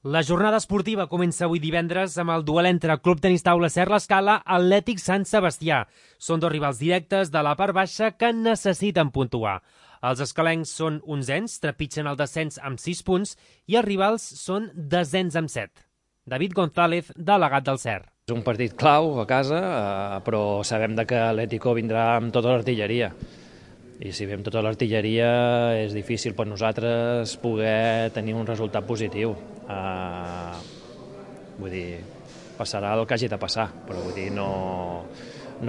La jornada esportiva comença avui divendres amb el duel entre Club Tenis Taula Ser l'Escala Atlètic Sant Sebastià. Són dos rivals directes de la part baixa que necessiten puntuar. Els escalencs són onzens, trepitgen el descens amb 6 punts i els rivals són desens amb 7. David González, delegat del Ser. És un partit clau a casa, però sabem que l'Atlético vindrà amb tota l'artilleria. I si ve amb tota l'artilleria és difícil per nosaltres poder tenir un resultat positiu. Vull dir, passarà el que hagi de passar, però vull dir, no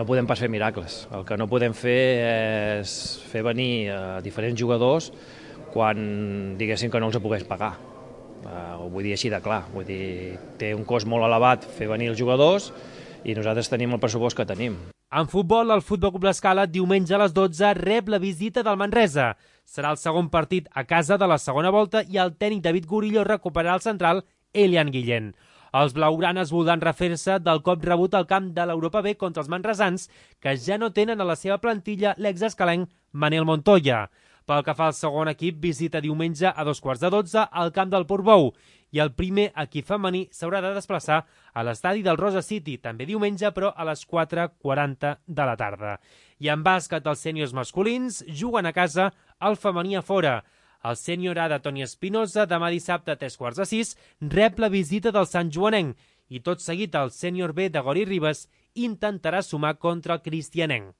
podem pas fer miracles. El que no podem fer és fer venir diferents jugadors quan diguéssim que no els pogués pagar. Ho vull dir així de clar. Vull dir, té un cost molt elevat fer venir els jugadors i nosaltres tenim el pressupost que tenim. En futbol, el Futbol Club L'Escala diumenge a les 12 rep la visita del Manresa. Serà el segon partit a casa de la segona volta i el tècnic David Gurillo recuperarà el central Elian Guillén. Els blaugranes voldran refer-se del cop rebut al camp de l'Europa B contra els manresans, que ja no tenen a la seva plantilla l'exescalenc Manel Montoya. Pel que fa al segon equip, visita diumenge a 12:15 al camp del Portbou i el primer equip femení s'haurà de desplaçar a l'estadi del Rosa City, també diumenge, però a les 4:40 de la tarda. I en bàsquet, els sèniors masculins juguen a casa, el femení a fora. El sènior A de Toni Espinosa, demà dissabte a 3:15, rep la visita del Sant Joanenc i tot seguit el sènior B de Gori Ribes intentarà sumar contra el Cristianenc.